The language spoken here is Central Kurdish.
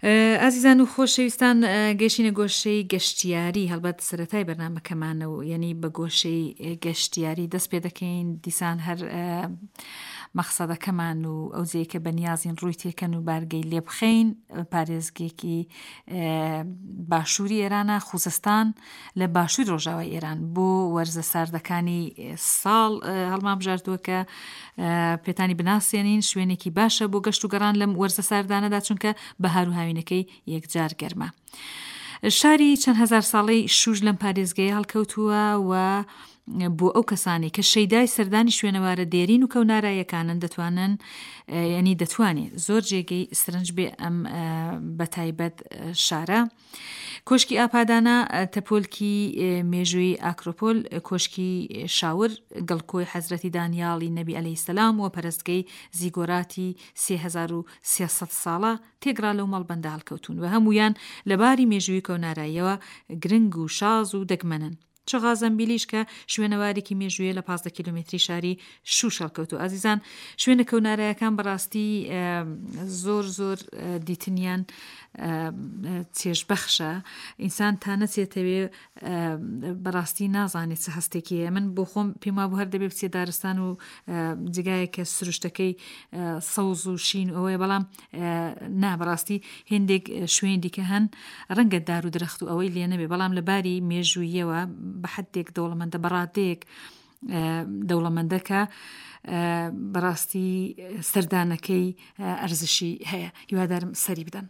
ئازیزان و خۆشەویستان گەشینە گۆشەی گەشتیاری هەڵبەت سەتای بەرنمەکەمانە و یعنی بە گۆشەی گەشتیاری دەست پێ دەکەین دیسان هەر مەخسەدەکەمان و ئەو جێی کە بەنیازین ڕووی تێکەن و بارگەی لێ بخەین پارێزگێکی باشووری ئێرانە خوزستان لە باشووری ڕۆژاوای ئێران بۆ وەرزە ساردەکانی ساڵ هەڵمان بژاردووە کە پێتانی بناسێنین شوێنێکی باشە بۆ گەشت و گەڕان لەم وەرزە ساردانەدا چونکە بەهار و هاوینەکەی یەکجار گەرمە. شاری چەند هەزار ساڵەی شوش لەم پارێزگەیە هەڵکەوتووە و بۆ ئەو کەسانەی کە شەیدای سەردانی شوێنەوارە دێرین و کەونارایەکانن دەتوانن ینی دەتوانێت زۆر جێگەی سرنج بێ ئەم بەتایبەت شارە. کۆشکی ئاپادانا، تەپۆلکی مێژووی ئاکرۆپۆل، کۆشکی شاور، گڵکۆی حەزرەتی دانیاڵی نەبی عەلەیهی سەلام و پەرستگەی زیگۆراتی 3300 ساڵە تێگڕا لەو مەڵبەندە هەڵکەوتوون و هەموویان لە باری مێژووی کەوناراییەوە گرنگ و شاز و دەگمەنن. چغا زەمبیلیش کە شوێنەوارێکی مێژوویە لە 15 کیلۆمەتری شاری شوش هەڵکەوتوو ئازیزان شوێنە کەونارایەکان بەڕاستی زۆر زۆر دیتنیان چێژبەخشە ئینسان تا نەچێتەوێ بەڕاستی نازانێت چ هەستێکی هەیە من بۆ خۆم پێم وابوو هەر دەبێ بچێ دارستان و جگایە کە سروشتەکەی سەوز و شین ئەوەیە بەڵام نا بەڕاستی هێندێک شوێن دیکە هەن ڕەنگە دار و درەخت و ئەوەی لێ نەبێ بەڵام لە باری مێژوویەوە بە حدێک دەوڵەمەندە بەڕادەیەک دەوڵەمەندەکە بەڕاستی سەردانەکەی ئەرزشی هەیە هیوادارم سەری بدەن.